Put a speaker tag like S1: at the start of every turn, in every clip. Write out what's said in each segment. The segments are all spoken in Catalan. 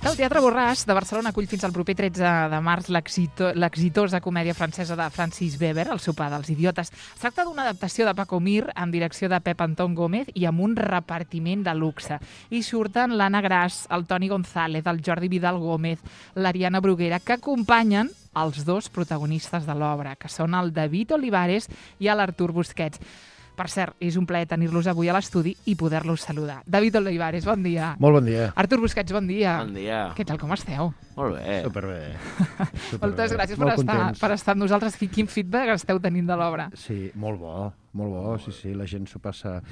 S1: El Teatre Borràs de Barcelona acull fins al proper 13 de març l'exitosa comèdia francesa de Francis Weber, El sopar dels idiotes. Es tracta d'una adaptació de Paco Mir amb direcció de Pep Antón Gómez i amb un repartiment de luxe. Hi surten l'Anna Gras, el Toni González, el Jordi Vidal Gómez, l'Ariana Bruguera, que acompanyen els dos protagonistes de l'obra, que són el David Olivares i l'Artur Busquets. Per cert, és un plaer tenir-los avui a l'estudi i poder-los saludar. David Olivares, bon dia.
S2: Molt bon dia.
S1: Artur Busquets, bon dia.
S3: Bon dia.
S1: Què tal, com esteu?
S3: Molt bé.
S2: Superbé.
S1: Moltes gràcies per estar amb nosaltres. Quin feedback esteu tenint de l'obra?
S2: Sí, molt bo, sí, la gent s'ho passa...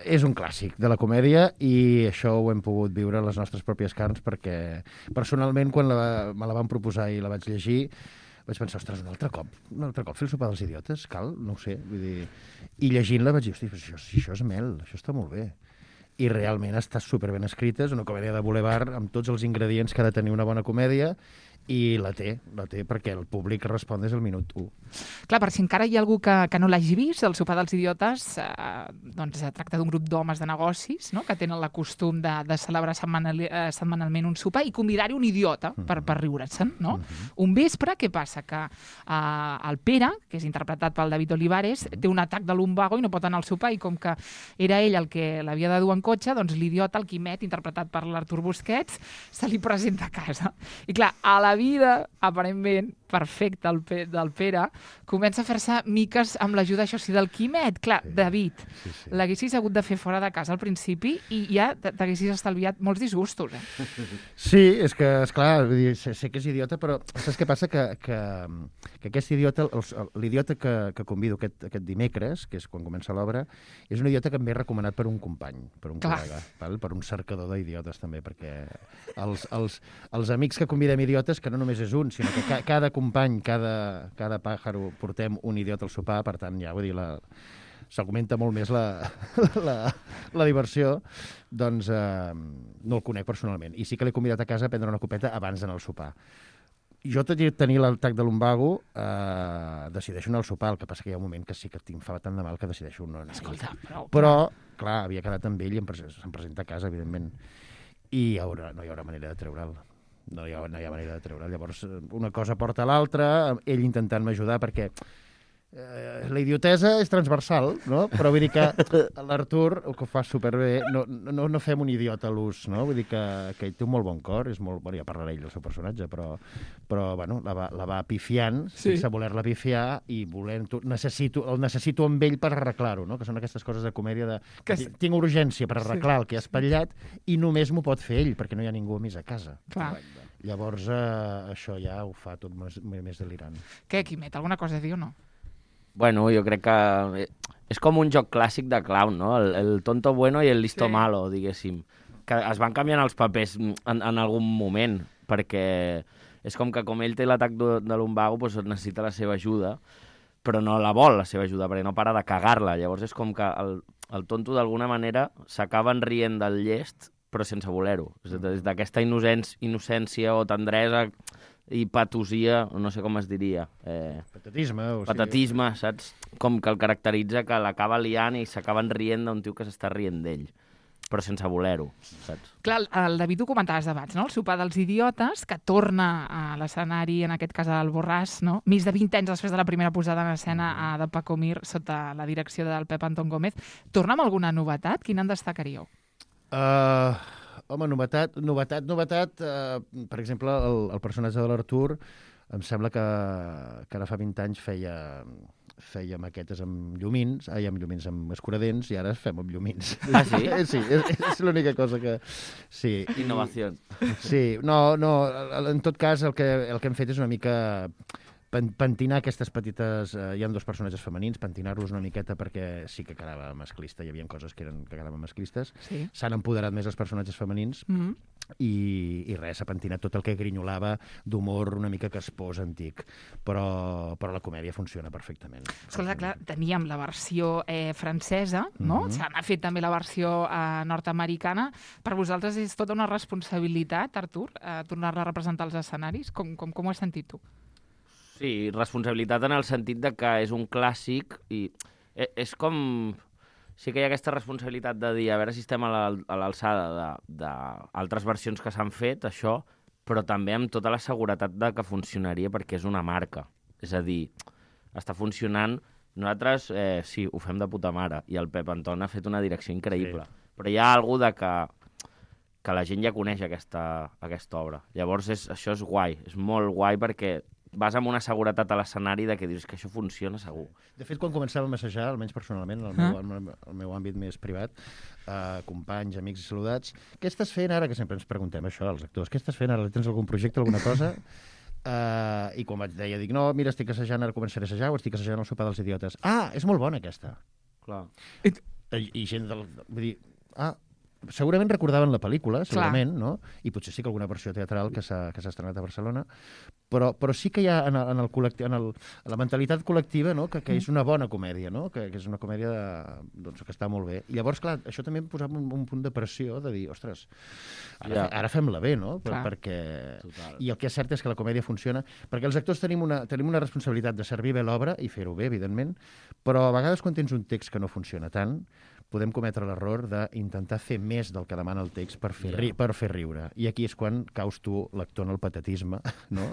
S2: És un clàssic de la comèdia i això ho hem pogut viure a les nostres pròpies carns perquè personalment quan me la van proposar i la vaig llegir vaig pensar, ostres, un altre cop fer el sopar dels idiotes, cal? No ho sé, vull dir... I llegint-la vaig dir, hosti, això és mel, això està molt bé. I realment està superben escrita, és una comèdia de boulevard amb tots els ingredients que ha de tenir una bona comèdia i la té perquè el públic respon des del minut 1.
S1: Clar, per si encara hi ha algú que no l'hagi vist, El sopar dels idiotes doncs tracta d'un grup d'homes de negocis, no?, que tenen el costum de celebrar setmanalment un sopar i convidar-hi un idiota per riure's-en, no? Un vespre, què passa? Que el Pere, que és interpretat pel David Olivares, té un atac de lumbago i no pot anar al sopar i com que era ell el que l'havia de dur en cotxe, doncs l'idiota, el Quimet, interpretat per l'Artur Busquets, se li presenta a casa. I clar, a la vida, aparentment, perfecta del Pere, comença a fer-se miques amb l'ajuda, això sí, del Quimet. Clar, sí, David, sí. L'haguessis hagut de fer fora de casa al principi i ja t'haguessis estalviat molts disgustos,
S2: Sí, és que, esclar, sé que és idiota, però saps què passa? Que aquest idiota, l'idiota que convido aquest dimecres, que és quan comença l'obra, és un idiota que em ve recomanat per un company, per un col·lega, per un cercador d'idiotes també, perquè els amics que convidem idiotes, que no només és un, sinó que cada company, cada pàjaro, portem un idiota al sopar, per tant, ja, vull dir, s'augmenta molt més la diversió, doncs no el conec personalment. I sí que l'he convidat a casa a prendre una copeta abans d'anar al sopar. Jo, tot i tenir l'atac de lumbago, decideixo anar al sopar, el que passa que hi ha un moment que sí que em fa tant de mal que decideixo no anar.
S1: Escolta,
S2: però, clar, havia quedat amb ell i se'm presenta a casa, evidentment, i no hi haurà manera de treure'l. No hi ha manera de treure'l. Llavors, una cosa porta a l'altra, ell intentant m'ajudar, perquè la idiotesa és transversal, no? Però vull dir que l'Artur, que ho fa superbé, no fem un idiota a l'ús, no? Vull dir que ell té un molt bon cor, és molt... Bueno, ja parlarà ell del seu personatge, però bueno, la va pifiant, sense voler-la pifiar, i el necessito amb ell per arreglar-ho, no? Que són aquestes coses de comèdia de... Tinc urgència per arreglar el que ha espatllat i només m'ho pot fer ell, perquè no hi ha ningú més a casa.
S1: Clar.
S2: Llavors, això ja ho fa tot més delirant.
S1: Què, Quimet, alguna cosa a dir o no?
S3: Bueno, jo crec que és com un joc clàssic de clown, no? El tonto bueno i el listo malo, diguéssim. Que es van canviant els papers en algun moment, perquè és com que com ell té l'atac de lumbago, doncs necessita la seva ajuda, però no la vol, la seva ajuda, perquè no para de cagar-la. Llavors és com que el tonto, d'alguna manera, s'acaben rient del llest, però sense voler-ho. Des d'aquesta innocència o tendresa i patosia, no sé com es diria. Patatisme, saps? Com que el caracteritza, que l'acaba liant i s'acaben rient d'un tio que s'està rient d'ell, però sense voler-ho, saps?
S1: Clar, el David ho comentaves abans, no? El sopar dels idiotes, que torna a l'escenari, en aquest cas al Borràs, no? Més de 20 anys després de la primera posada en escena de Paco Mir, sota la direcció del Pep Antón Gómez. Torna amb alguna novetat? Quina en destacaríeu?
S2: Home, novetat. Per exemple, el personatge de l'Artur, em sembla que ara fa 20 anys feia maquetes amb llumins, amb escuradents, i ara fem amb llumins.
S3: Ah, sí?
S2: Sí, és l'única cosa que... Sí.
S3: Innovació.
S2: Sí, no, en tot cas el que hem fet és una mica... Pentinar aquestes petites... hi ha dos personatges femenins, pentinar-los una miqueta perquè sí que quedava masclista, hi havia coses que quedaven masclistes.
S1: Sí.
S2: S'han empoderat més els personatges femenins i res, s'ha pentinat tot el que grinyolava d'humor una mica caspós, antic. Però la comèdia funciona perfectament.
S1: Escolta, clar, teníem la versió francesa, no? Se n'ha fet també la versió nord-americana. Per vosaltres és tota una responsabilitat, Artur, tornar-la a representar als escenaris? Com ho has sentit tu?
S3: Sí, responsabilitat en el sentit de que és un clàssic i és com... sí que hi ha aquesta responsabilitat de dir a veure si estem a l'alçada d'altres versions que s'han fet, això, però també amb tota la seguretat de que funcionaria perquè és una marca. És a dir, està funcionant. Nosaltres, sí, ho fem de puta mare, i el Pep Anton ha fet una direcció increïble. Sí. Però hi ha alguna que la gent ja coneix aquesta obra. Llavors, això és guai, és molt guai perquè vas amb una seguretat a l'escenari de que dius que això funciona segur.
S2: De fet, quan començàvem a assajar, almenys personalment, el meu àmbit més privat, companys, amics i saludats, què estàs fent ara? Que sempre ens preguntem això, els actors. Què estàs fent ara? Tens algun projecte, alguna cosa? I quan vaig dir, dic, no, mira, estic assajant, ara començaré a assajar, o estic assajant el sopar dels idiotes. Ah, és molt bona aquesta.
S3: Clar.
S2: I gent vull dir, segurament recordaven la pel·lícula, segurament, no? I potser sí que alguna versió teatral que s'ha estrenat a Barcelona, però sí que hi ha en la mentalitat col·lectiva, no? que és una bona comèdia, no? que és una comèdia doncs, que està molt bé. I llavors, clar, això també em posava un punt de pressió de dir, ostres, ara fem-la bé, no? Perquè... I el que és cert és que la comèdia funciona, perquè els actors tenim una responsabilitat de servir bé l'obra i fer-ho bé, evidentment, però a vegades quan tens un text que no funciona tant, podem cometre l'error d'intentar fer més del que demana el text per fer riure. I aquí és quan caus tu, l'actor, en el patatisme, no?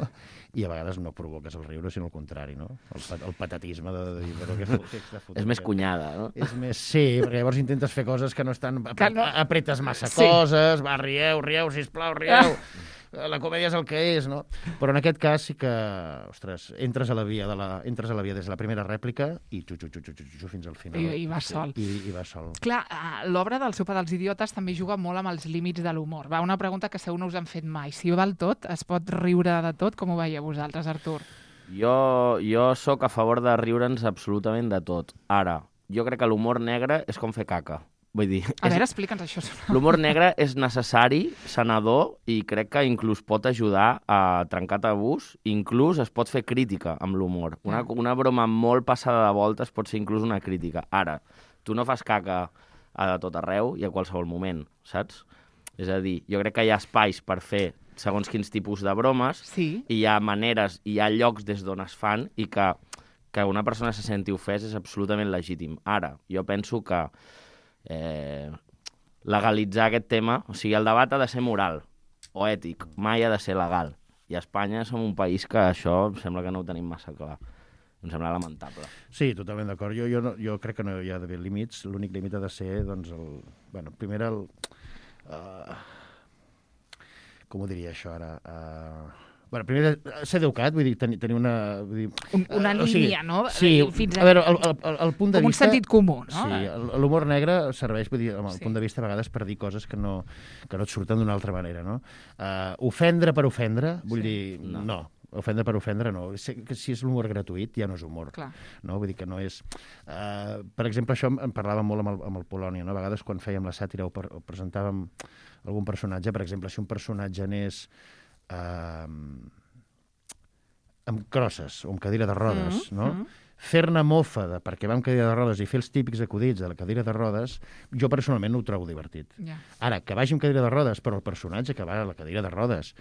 S2: I a vegades no provoques el riure, sinó el contrari, no? El patatisme de dir, però què text de fotre?
S3: És més cunyada, no?
S2: És més, sí, perquè llavors intentes fer coses que no estan... Apretes massa coses, rieu, sisplau, rieu... La comèdia és el que és, no? Però en aquest cas sí que, ostres, entres a la via des de la primera rèplica i fins al final.
S1: I vas sol.
S2: I vas sol.
S1: Clar, l'obra del Sopar dels idiotes també juga molt amb els límits de l'humor. Va, una pregunta que segur no us han fet mai. Si val tot, es pot riure de tot? Com ho veieu vosaltres, Artur?
S3: Jo sóc a favor de riure'ns absolutament de tot. Ara, jo crec que l'humor negre és com fer caca. Vull dir,
S1: a veure, explica'ns això.
S3: L'humor negre és necessari, sanador, i crec que inclús pot ajudar a trencar tabús, inclús es pot fer crítica amb l'humor. Una broma molt passada de voltes pot ser inclús una crítica. Ara, tu no fas caca a tot arreu i a qualsevol moment, saps? És a dir, jo crec que hi ha espais per fer segons quins tipus de bromes,
S1: sí.
S3: I hi ha maneres, hi ha llocs des d'on es fan i que una persona se senti ofès és absolutament legítim. Ara, jo penso que legalitzar aquest tema, o sigui, el debat ha de ser moral o ètic, mai ha de ser legal. I a Espanya som un país que això em sembla que no ho tenim massa clar. Em sembla lamentable.
S2: Sí, totalment d'acord. Jo crec que no hi ha d'haver límits. L'únic límit ha de ser, doncs, primer com ho diria això ara? Primer, ser educat, vull dir, tenir una...
S1: Una línia, no?
S2: Sí,
S1: fins
S2: a veure, el punt de vista...
S1: Com un sentit comú, no?
S2: Sí, l'humor negre serveix, vull dir, amb el punt de vista a vegades per dir coses que no et surten d'una altra manera, no? Ofendre per ofendre, vull dir, no. Ofendre per ofendre, no. Si és l'humor gratuït, ja no és humor.
S1: Clar.
S2: No? Vull dir que no és... per exemple, això en parlàvem molt amb el Polònia, no? A vegades quan fèiem la sàtira o presentàvem algun personatge, per exemple, si un personatge anés amb crosses o amb cadira de rodes, no? Fer-ne mofa perquè va amb cadira de rodes i fer els típics acudits de la cadira de rodes, jo personalment no ho trobo divertit. Ara, que vagi amb cadira de rodes, però el personatge que va a la cadira de rodes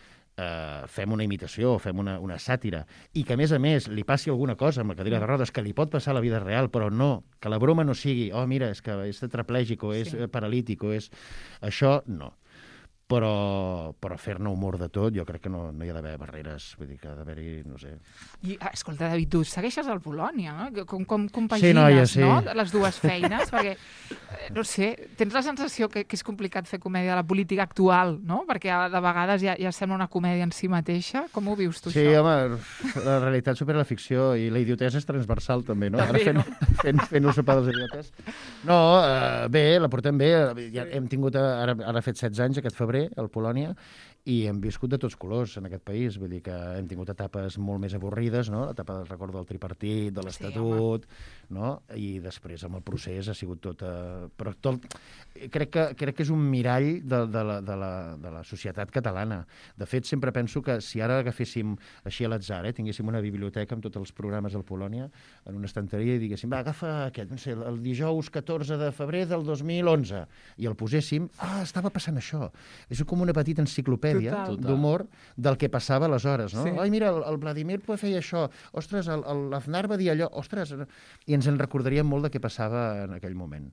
S2: fem una imitació, fem una sàtira, i que, a més, li passi alguna cosa amb la cadira de rodes que li pot passar a la vida real, però no, que la broma no sigui, mira, és que és tetraplègic o és paralític o és... Això, no. Però fer-ne humor de tot, jo crec que no hi ha d'haver barreres, vull dir que ha d'haver-hi, no sé...
S1: I, escolta, David, tu segueixes al Polònia, no? Com compagines, no? Les dues feines, perquè, no sé, tens la sensació que és complicat fer comèdia de la política actual, no? Perquè de vegades ja sembla una comèdia en si mateixa. Com ho vius tu,
S2: això?
S1: Sí,
S2: home, la realitat supera la ficció i la idiotesa és transversal, també, no? També, ara fent el sopar dels idiotes. No, bé, la portem bé. Ja hem tingut, ara ha fet 16 anys, aquest febrer, al Polònia, i hem viscut de tots colors en aquest país. Vull dir que hem tingut etapes molt més avorrides, no? L'etapa del record del tripartit, de l'Estatut, no? I després amb el procés ha sigut tot... Però tot... Crec que és un mirall de la societat catalana. De fet, sempre penso que si ara agaféssim així a l'atzar, tinguéssim una biblioteca amb tots els programes del Polònia en una estanteria i diguéssim, va, agafa aquest, no sé, el dijous 14 de febrer del 2011, i el poséssim, estava passant això. És com una petita enciclopèdia d'humor del que passava aleshores, no? Sí. Ai, mira, el Vladimir feia això. Ostres, l'Aznar va dir allò. Ostres, i ens en recordaríem molt de què passava en aquell moment.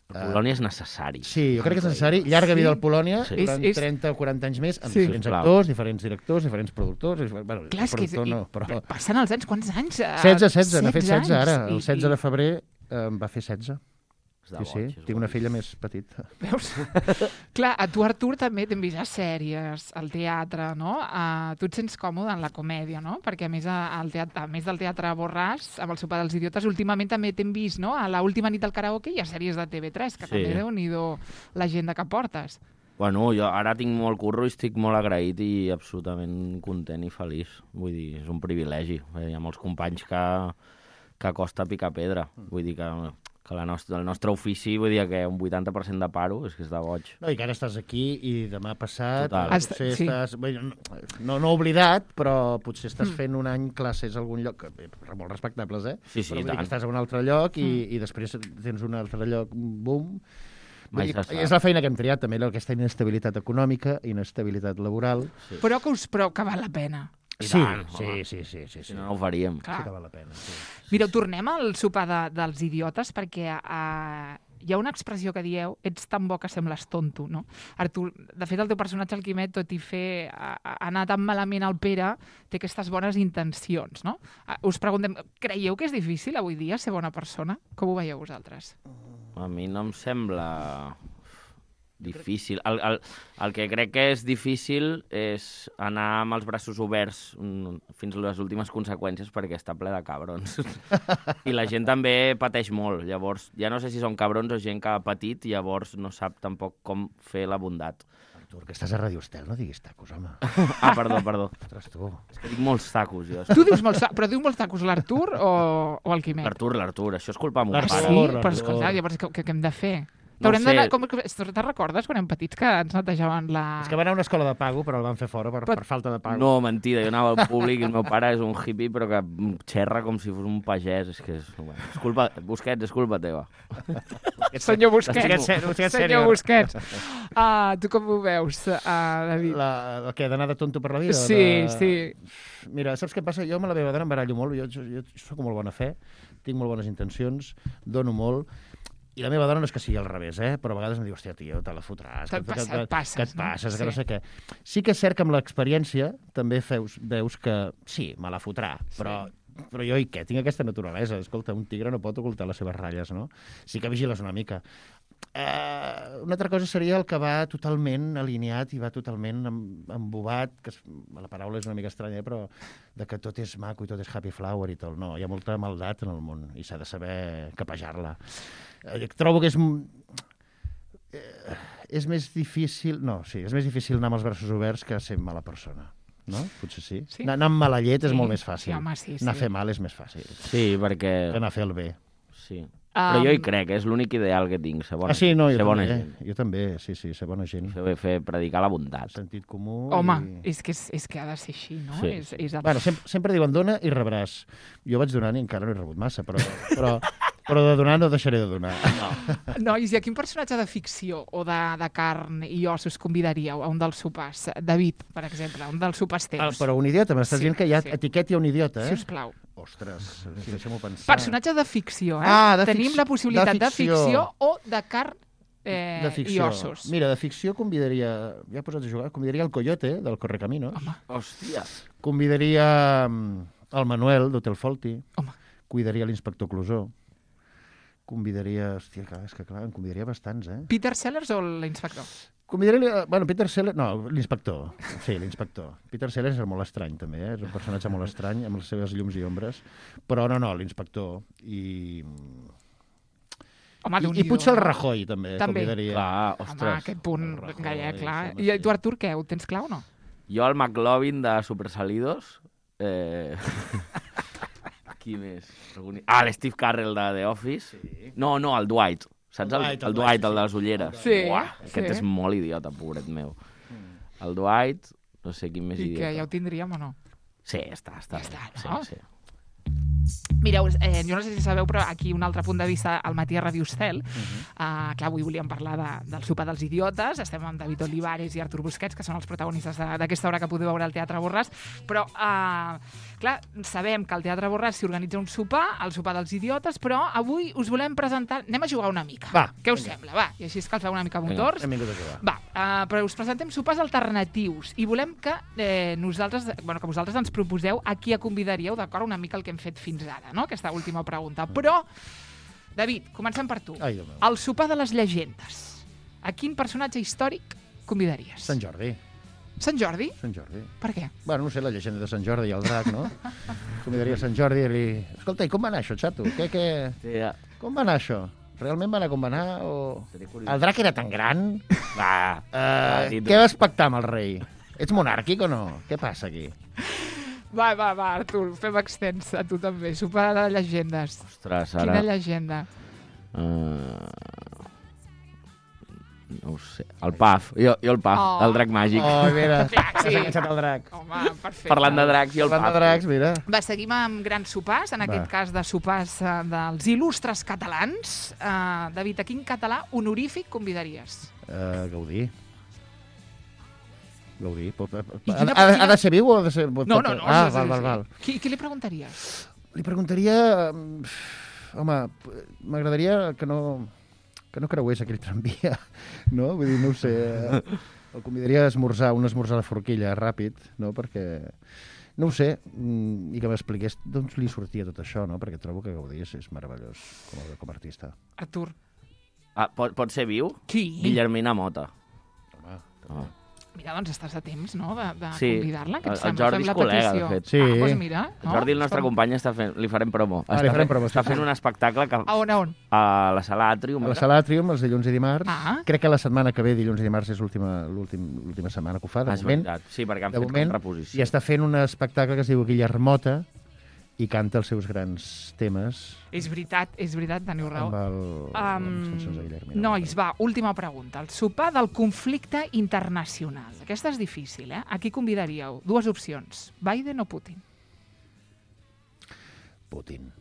S3: El Polònia és necessari.
S2: Sí, jo crec que és necessari. Llarga vida al Polònia,
S3: Sí.
S2: durant 30 o 40 anys més, amb
S1: Sí.
S2: diferents actors, diferents directors, diferents productors. Bueno,
S1: Clar, és que
S2: productor no, però...
S1: passen els anys, quants anys?
S2: 16, n'ha fet 16 ara.
S1: anys.
S2: El 16 de febrer em va fer 16.
S3: És de
S2: Sí,
S3: boig,
S2: sí,
S3: és
S2: tinc una
S3: boig.
S2: filla més petita.
S1: Veus? Clar, a tu, Artur, també t'hem vist a sèries, al teatre, no? Tu et sents còmode en la comèdia, no? Perquè a més, a més del teatre Borràs, amb el sopar dels idiotes, últimament també t'hem vist, no? A l'última nit del karaoke i a sèries de TV3, que
S3: Sí.
S1: també Déu-n'hi-do l'agenda que portes.
S3: Bueno, jo ara tinc molt curro i estic molt agraït i absolutament content i feliç. Vull dir, és un privilegi. Hi ha molts companys que costa picar pedra. Vull dir que el nostre ofici, vull dir que un 80% de paro és que és de boig.
S2: No, i que ara estàs aquí i demà passat
S3: Total.
S2: potser
S1: Sí.
S2: estàs... Bé, no oblidat, però potser estàs fent un any classes a algun lloc, molt respectables,
S3: Sí, sí,
S2: però vull dir
S3: tant.
S2: que estàs a un altre lloc i després tens un altre lloc, boom.
S3: Mai
S2: Vull dir,
S3: se sap.
S2: és la feina que hem triat, també, aquesta inestabilitat econòmica, inestabilitat laboral.
S1: Però que val la pena.
S3: I
S2: Sí,
S3: tant, home.
S2: sí.
S3: Si no, no ho faríem.
S1: Clar.
S2: Sí que val la pena, sí.
S1: Mireu, tornem al sopar dels idiotes perquè hi ha una expressió que dieu, ets tan bo que sembles tonto, no? Artur, de fet, el teu personatge, el Quimet, tot i anar tan malament al Pere, té aquestes bones intencions, no? Us preguntem, creieu que és difícil avui dia ser bona persona? Com ho veieu vosaltres?
S3: A mi no em sembla difícil. El que crec que és difícil és anar amb els braços oberts fins a les últimes conseqüències perquè està ple de cabrons. I la gent també pateix molt. Llavors, ja no sé si són cabrons o gent que ha patit i llavors no sap tampoc com fer la bondat.
S2: Artur, que estàs a Radio Estel, no diguis tacos, home.
S3: Ah, perdó.
S2: Ostres, tu.
S3: És que dic molts tacos, jo.
S1: Tu dius però diu molts tacos l'Artur o el Quimet?
S3: L'Artur, això és culpa de mon
S1: Ah,
S2: L'Artur,
S1: sí?
S3: pare.
S1: Però escolta, llavors què hem de fer?
S3: No
S1: T'haurem
S3: sé.
S1: d'anar... Te'n recordes quan érem petits que ens netejaven la...
S2: És que va anar a una escola de pago, però el van fer fora per falta de pago.
S3: No, mentida, jo anava al públic i el meu pare és un hippie però que xerra com si fos un pagès. És que és... Bueno, és culpa... Busquets, és culpa teva.
S1: Senyor Busquets.
S2: Busquets
S1: Senyor
S2: sènior.
S1: Busquets. Tu com ho veus, David?
S2: El que d'anar de tonto per la vida?
S1: Sí.
S2: Mira, saps què passa? Jo amb la meva dona em barallo molt, jo soc molt bona fe, tinc molt bones intencions, dono molt, i la meva dona no és que sigui al revés, però a vegades em diu, hòstia, tio, te la fotràs,
S1: Et passes,
S2: que et passes,
S1: no?
S2: que no sé què. Sí que és cert que amb l'experiència també veus que sí, me la fotrà, però jo i què? Tinc aquesta naturalesa. Escolta, un tigre no pot ocultar les seves ratlles, no? Sí que vigiles una mica. Una altra cosa seria el que va totalment alineat i va totalment embobat, que la paraula és una mica estranya, però de que tot és maco i tot és happy flower i tot. No, hi ha molta maldat en el món i s'ha de saber capejar-la. Trobo que és més difícil... No, sí, és més difícil anar amb els braços oberts que ser mala persona. No? Potser sí.
S1: Sí.
S2: Anar amb mala llet és molt més fàcil.
S1: Sí, home, sí.
S2: Anar a fer mal és més fàcil
S3: Sí, perquè...
S2: que anar a fer el bé.
S3: Sí. Però jo hi crec, és l'únic ideal que tinc, ser bona
S2: Sí, no,
S3: ser
S2: jo
S3: bona
S2: també.
S3: gent.
S2: Jo també, sí, ser bona gent.
S3: Predicar la bondat.
S2: Sentit comú...
S1: Home,
S2: i...
S1: és que ha de ser així, no?
S3: Sí.
S1: És
S2: Bueno, sempre diuen dona i rebràs. Jo vaig donant i encara no he rebut massa, però de donar no deixaré de donar.
S1: Nois, i a quin personatge de ficció o de carn i ossos convidaríeu a un dels sopars? David, per exemple, a un dels sopars teus.
S2: Però un idiota, m'estàs dient que hi ha etiqueta i un idiota,
S1: Si us plau.
S2: Ostres, deixa'm-ho pensar.
S1: Personatge de ficció, Tenim la possibilitat de ficció o de carn
S2: de
S1: i
S2: ficció.
S1: ossos.
S2: Mira, de ficció convidaria... Ja posats a jugar. Convidaria el Coyote, del Correcaminos.
S1: Home,
S3: Hòstia.
S2: Convidaria el Manuel, d'Hotel Folti.
S1: home.
S2: Cuidaria l'inspector Clusó. Convidaria... Hòstia, és que clar, en convidaria bastants,
S1: Peter Sellers o l'inspector?
S2: Convidaria... Bueno, Peter Sellers... No, l'inspector. Sí, l'inspector. Peter Sellers és molt estrany, també, És un personatge molt estrany, amb les seves llums i ombres. Però no, l'inspector.
S1: Home,
S2: I potser el Rajoy, també. Convidaria.
S3: Clar,
S1: Home,
S3: ostres.
S1: aquest punt,
S2: Rajoy,
S1: gaire clar.
S2: sí,
S1: I
S2: home,
S1: tu, Artur, què? Ho tens clar o no?
S3: Jo el McLovin de Supersalidos. Qui més? L'Steve Carell de The Office. Sí. No, el Dwight. Saps? El Dwight, el de les ulleres.
S1: Sí,
S3: Aquest és molt idiota, pobret meu. El Dwight, no sé quin més
S1: I
S3: idiota.
S1: que ja ho tindríem o no?
S3: Sí, està.
S1: Ja està,
S3: Sí,
S1: no?
S3: sí.
S1: Mireu, jo no sé si sabeu, però aquí un altre punt de vista al matí a Ràdio Estel. Clar, avui volíem parlar del sopar dels idiotes. Estem amb David Olivares i Artur Busquets, que són els protagonistes d'aquesta hora que podeu veure al Teatre Borràs. Però, clar, sabem que al Teatre Borràs s'hi organitza un sopar, el sopar dels idiotes, però avui us volem presentar... Anem a jugar una mica.
S2: Va,
S1: què us sembla? Va, i així escalfeu una mica motors.
S2: Hem vingut a jugar.
S1: Va, però us presentem sopars alternatius i volem que que vosaltres ens proposeu a qui convidaríeu, d'acord, una mica el que hem fet fins ara, no? Aquesta última pregunta. Però, David, comencem per tu.
S2: Ai, Déu meu.
S1: El sopar de les llegendes. A quin personatge històric convidaries?
S2: Sant Jordi.
S1: Sant Jordi?
S2: Sant Jordi.
S1: Per què?
S2: Bueno, no sé, la llegenda de Sant Jordi i el drac, no? Convidaria Sant Jordi i li... Escolta, i com va anar això, xato?
S3: Sí, ja.
S2: Com va anar això? Realment va anar com va anar o...
S3: Seria curiós.
S2: El drac era tan gran?
S3: Va,
S2: Què vas pactar amb el rei? Ets monàrquic o no? Què passa aquí?
S1: Va, Artur, fem extens a tu també. Sopar de llegendes.
S3: Ostres, ara...
S1: Quina llegenda?
S3: No ho sé. El Paf. Jo el Paf, el drac màgic.
S2: Oh, mira,
S1: Clar, sí.
S2: s'ha enganxat el drac.
S1: Home, perfecte.
S3: Parlant de dracs i el
S2: Parlant
S3: Paf.
S2: de dracs, mira.
S1: Va, seguim amb grans sopars, en aquest cas de sopars dels il·lustres catalans. David, a quin català honorífic convidaries?
S2: Gaudí. Gaudí.
S1: quina-
S2: Ha de ser viu o ha de ser...
S1: No.
S2: Ah,
S1: sí.
S2: val.
S1: Qui li preguntaries?
S2: Li preguntaria... Home, m'agradaria que no creués aquell tramvia, no? Vull dir, no ho sé. El convidaria a esmorzar, un esmorzar de forquilla ràpid, no? Perquè, no ho sé, i que m'expliqués d'on li sortia tot això, no? Perquè trobo que Gaudí és meravellós com a artista.
S1: Artur.
S3: Pot ser viu?
S1: Qui?
S3: Guillermina Mota.
S2: Home,
S1: Mira, doncs estàs a temps, no?, de
S3: Sí.
S1: convidar-la. Què et
S3: El
S1: sembla?
S3: Jordi
S1: Fem
S3: és
S1: la
S3: col·lega,
S1: petició.
S3: de fet.
S2: Sí.
S1: Doncs mira.
S3: El Jordi, el nostre company, li farem promo.
S2: li farem promo,
S3: Està
S2: sí.
S3: fent un espectacle que,
S1: A on?
S3: a la Sala Atrium.
S2: a la Sala Atrium, els dilluns i dimarts.
S1: Ah.
S2: Crec que la setmana que ve, dilluns i dimarts, és l'última setmana que ho fa, de
S3: És
S2: moment.
S3: veritat. Sí, perquè han
S2: De
S3: fet
S2: moment,
S3: com reposició.
S2: i està fent un espectacle que es diu Guillermota i canta els seus grans temes
S1: És veritat, teniu raó.
S2: amb les cançons de Guillermina.
S1: Nois, va, última pregunta. El sopar del conflicte internacional. Aquesta és difícil, eh? A qui convidaríeu? Dues opcions. Biden o Putin?
S2: Putin.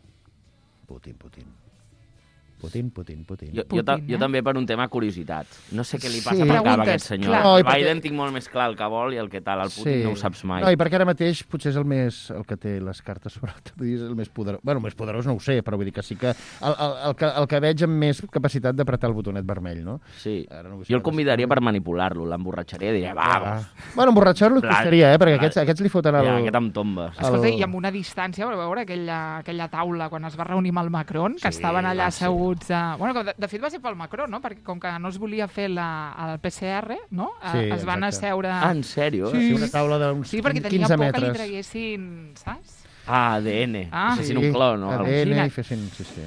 S3: Jo també per un tema curiositat. No sé què li passa
S2: Sí.
S3: per cap a
S1: Preguntes,
S3: aquest senyor.
S1: clar.
S2: No, i
S3: El Biden
S2: perquè-
S3: tinc molt més clar el que vol i el que tal. El Putin no ho saps mai.
S2: No, i perquè ara mateix potser és el que té les cartes sobre la taula, és el més poderós. Bueno, més poderós no ho sé, però vull dir que sí que el que veig amb més capacitat d'apretar el botonet vermell, no?
S3: Sí.
S2: Ara no vull
S3: Jo el
S2: saber
S3: convidaria per manipular-lo. L'emborratxaria i diria, va.
S2: Bueno, emborratxar-lo
S3: Blat,
S2: costaria, perquè
S3: blat.
S2: aquests li foten el...
S3: Ja, aquest em tomba.
S1: Escolta, i amb una distància, vau veure aquella taula quan es va reunir amb el Macron, que estaven allà asseguts... Bueno, que de fet va ser pel Macron, no? Perquè com que no es volia fer el PCR, no?
S2: Sí,
S1: Es van
S2: exacte.
S1: asseure...
S3: En sèrio?
S2: Sí, una taula d'uns
S1: Sí, perquè tenia
S2: 15
S1: por que li
S2: metres.
S1: traguessin, saps?
S3: ADN.
S1: Ah.
S3: Fessin un clon, no?
S2: ADN
S1: Imagina't.
S2: i fessin... Sí.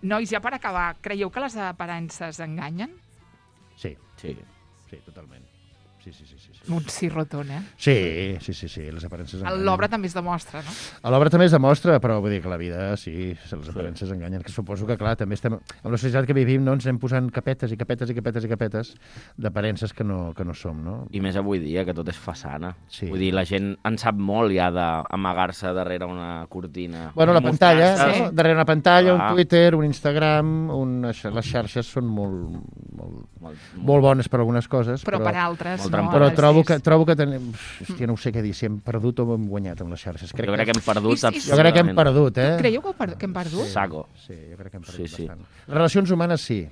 S1: Nois, ja per acabar, creieu que les aparences enganyen?
S2: Sí,
S3: Sí.
S2: totalment. Sí.
S1: Un sí rotund, eh?
S2: Sí, les aparences
S1: A
S2: enganyen.
S1: l'obra també es demostra, no?
S2: A l'obra també es demostra, però vull dir que la vida, sí, les aparences enganyen, que suposo que, clar, també estem... En la societat que vivim, no, ens anem posant capetes d'aparences que no som, no?
S3: I més avui dia, que tot és façana.
S2: Sí.
S3: Vull dir, la gent en sap molt ja d'amagar-se darrere una cortina.
S2: Bueno, la pantalla,
S3: Mostrar-se.
S2: no? Darrere una pantalla,
S3: Ah.
S2: un Twitter, un Instagram, les xarxes són molt bones per algunes coses,
S1: Però per altres,
S3: molt
S1: no?
S3: trampa.
S2: però
S1: Ara
S2: trobo que tenim... Hòstia, no ho sé què dir, si hem perdut o hem guanyat amb les xarxes.
S3: Jo crec que hem perdut
S1: Jo
S2: Jo crec que hem perdut, eh?
S1: Creieu que hem perdut?
S3: Saco.
S2: Sí, jo crec que hem perdut
S3: Sí.
S2: bastant. Les relacions humanes, sí.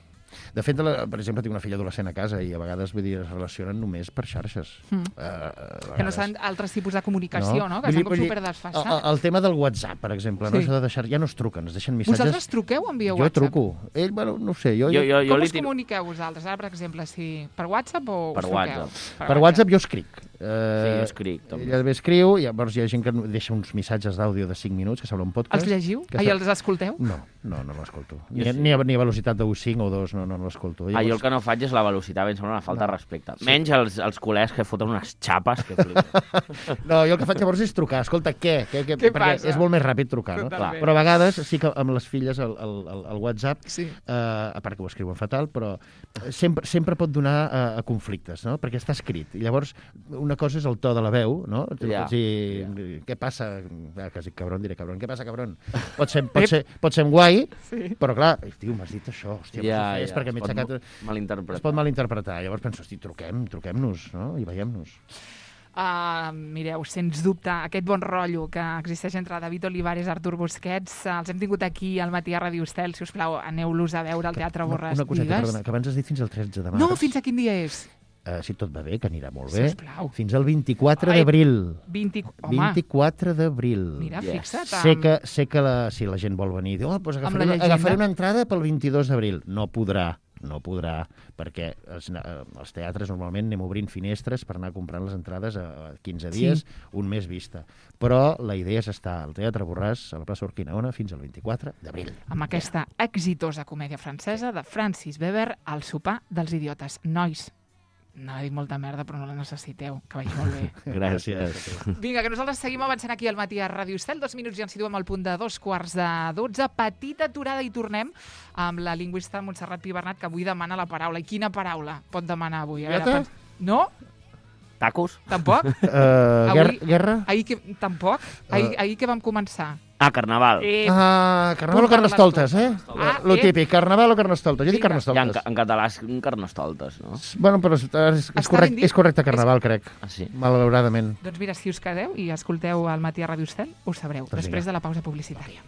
S2: De fet, per exemple, tinc una filla adolescent a casa i a vegades, vull dir, es relacionen només per xarxes.
S1: Que no són altres tipus de comunicació, no? Que estan com superdesfassats.
S2: El tema del WhatsApp, per exemple, no?
S1: Sí.
S2: Això de deixar... Ja no es truquen, es deixen missatges...
S1: Vosaltres truqueu o envieu
S2: Jo
S1: WhatsApp?
S2: truco. Ell, bueno, no ho sé, jo...
S1: Com
S3: li
S1: us comuniqueu vosaltres? Ara, per exemple, si per WhatsApp o
S3: Per
S1: us truqueu?
S3: WhatsApp.
S2: Per WhatsApp jo escric.
S3: Sí, jo escric, també.
S2: Ella escriu, llavors hi ha gent que deixa uns missatges d'àudio de 5 minuts, que sembla un podcast.
S1: Els llegiu?
S2: Que
S1: I els escolteu?
S2: No l'escolto. Ni,
S3: Jo sí.
S2: ni a velocitat de 5 o 2, no l'escolto.
S3: Jo el que no faig és la velocitat, em sembla una falta de respecte. Menys els col·legs que foten unes xapes que flipo.
S2: No, jo el que faig llavors és trucar. Escolta, què?
S1: Què
S2: Perquè
S1: passa?
S2: és molt més ràpid trucar, no?
S1: Totalment.
S2: Però a vegades sí que amb les filles el WhatsApp,
S1: Sí.
S2: a part que ho escriuen fatal, però sempre pot donar a conflictes, no? Perquè està escrit. I llavors una cosa és el to de la veu, no?
S3: Ja.
S2: Què passa? Quasi cabron, diré cabron. Què passa, cabron? Pot ser guai, però clar, tio, m'has dit això, hòstia, és perquè m'he aixecat... Es pot malinterpretar. Llavors penso, hosti, truquem-nos, no? I veiem-nos.
S1: Mireu, sens dubte, aquest bon rotllo que existeix entre David Olivares i Artur Busquets, els hem tingut aquí al matí a Radio Estel. Si us plau, aneu-los a veure al Teatre Borràs.
S2: Una coseta, perdona, que abans has dit fins al 13 de març.
S1: No, fins a quin dia és?
S2: Si tot va bé, que anirà molt bé.
S1: Sisplau.
S2: Fins al 24 d'abril. 24 d'abril.
S1: Mira, fixa't.
S2: Sé que la gent vol venir i diu, doncs agafaré una entrada pel 22 d'abril. No podrà, perquè els teatres normalment anem obrint finestres per anar comprant les entrades a 15 dies, un mes vista. Però la idea és estar al Teatre Borràs, a la plaça Urquinaona, fins al 24 d'abril.
S1: Amb aquesta exitosa comèdia francesa de Francis Weber, El sopar dels idiotes. Nois, no he dit molta merda, però no la necessiteu, que vagi molt bé.
S2: Gràcies.
S1: Vinga, que nosaltres seguim avançant aquí al matí a Ràdio Estel. 2 minuts i ens situem al punt de 2:45. Petita aturada i tornem amb la lingüista Montserrat Pi Bernat, que avui demana la paraula. I quina paraula pot demanar avui? No?
S3: Tacos?
S1: Tampoc?
S2: Guerra?
S1: Tampoc? Ahir que vam començar?
S3: Carnaval.
S2: Carnaval o carnestoltes, Lo típic, carnaval o carnestoltes. Jo dic carnestoltes.
S3: En català és carnestoltes, no?
S2: Bueno, però és correcte carnaval, crec.
S3: Sí.
S2: Malauradament.
S1: Doncs mira, si us quedeu i escolteu al matí a Ràdio Estel, ho sabreu, després de la pausa publicitària.